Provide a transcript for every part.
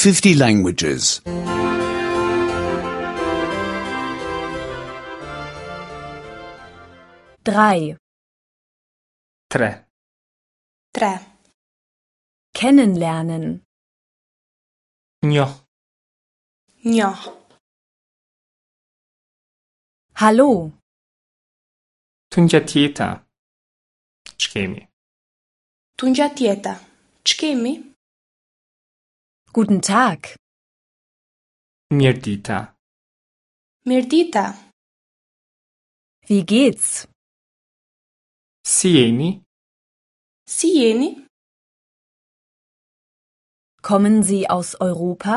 50 languages. 3. 3. 3. Kennenlernen. Njoh. Njoh. Hallo, Tundja tjeta. Ç'kemi? Tundja tjeta. Ç'kemi? guten Tag. Mirëdita. Mirëdita. Wie geht's? Si jeni? Si jeni? Kommen Sie aus Europa?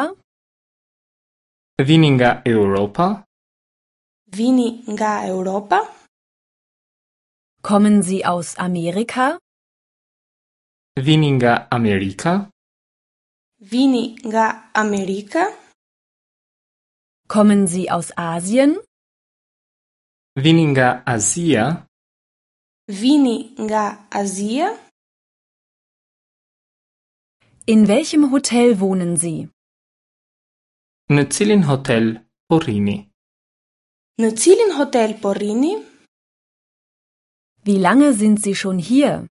Vini nga Europa? Vini nga Europa? Kommen Sie aus Amerika? Vini nga Amerika? Vini nga Amerika? Kommen Sie aus Asien? Vini nga Azia? Vini nga Azia? In welchem Hotel wohnen Sie? Në cilin hotel po rrini? Në cilin hotel po rrini? Wie lange sind Sie schon hier?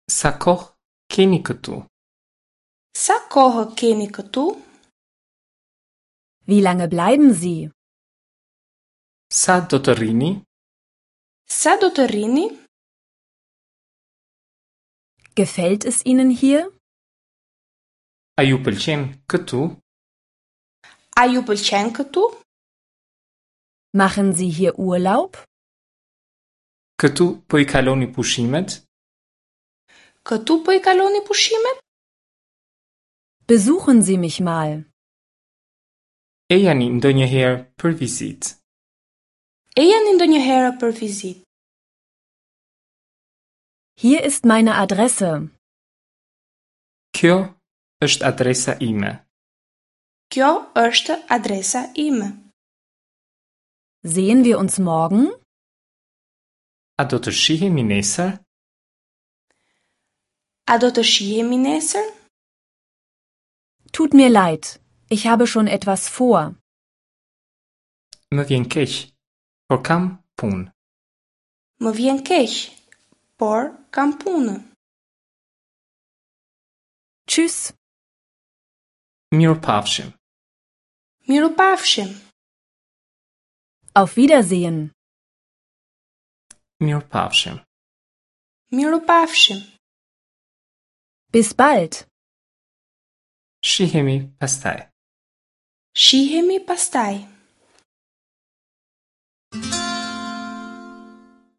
Sa kohë keni këtu? Sa kohë keni këtu? Wie lange bleiben Sie? Sa do të rrini? Sa do të rrini? Gefällt es Ihnen hier? A ju pëlqen këtu? A ju pëlqen këtu? Machen Sie hier Urlaub? Këtu po i kaloni pushimet? Këtu po i kaloni pushimet? Besuchen Sie mich mal. Ejani ndonjëherë për vizitë. Ejani ndonjëherë për vizitë. Hier ist meine Adresse. Kjo është adresa ime. Kjo është adresa ime. Sehen wir uns morgen? A do të shihemi nesër? A do të shihemi nesër? Tut mir leid, ich habe schon etwas vor. Më vjen keq, por kam punë. Më vjen keq, por kam punë. Tschüss. Mirupafshim. Mirupafshim. Auf Wiedersehen. Mirupafshim. Mirupafshim. Bis bald. Shihemi pastaj. Shihemi pastaj.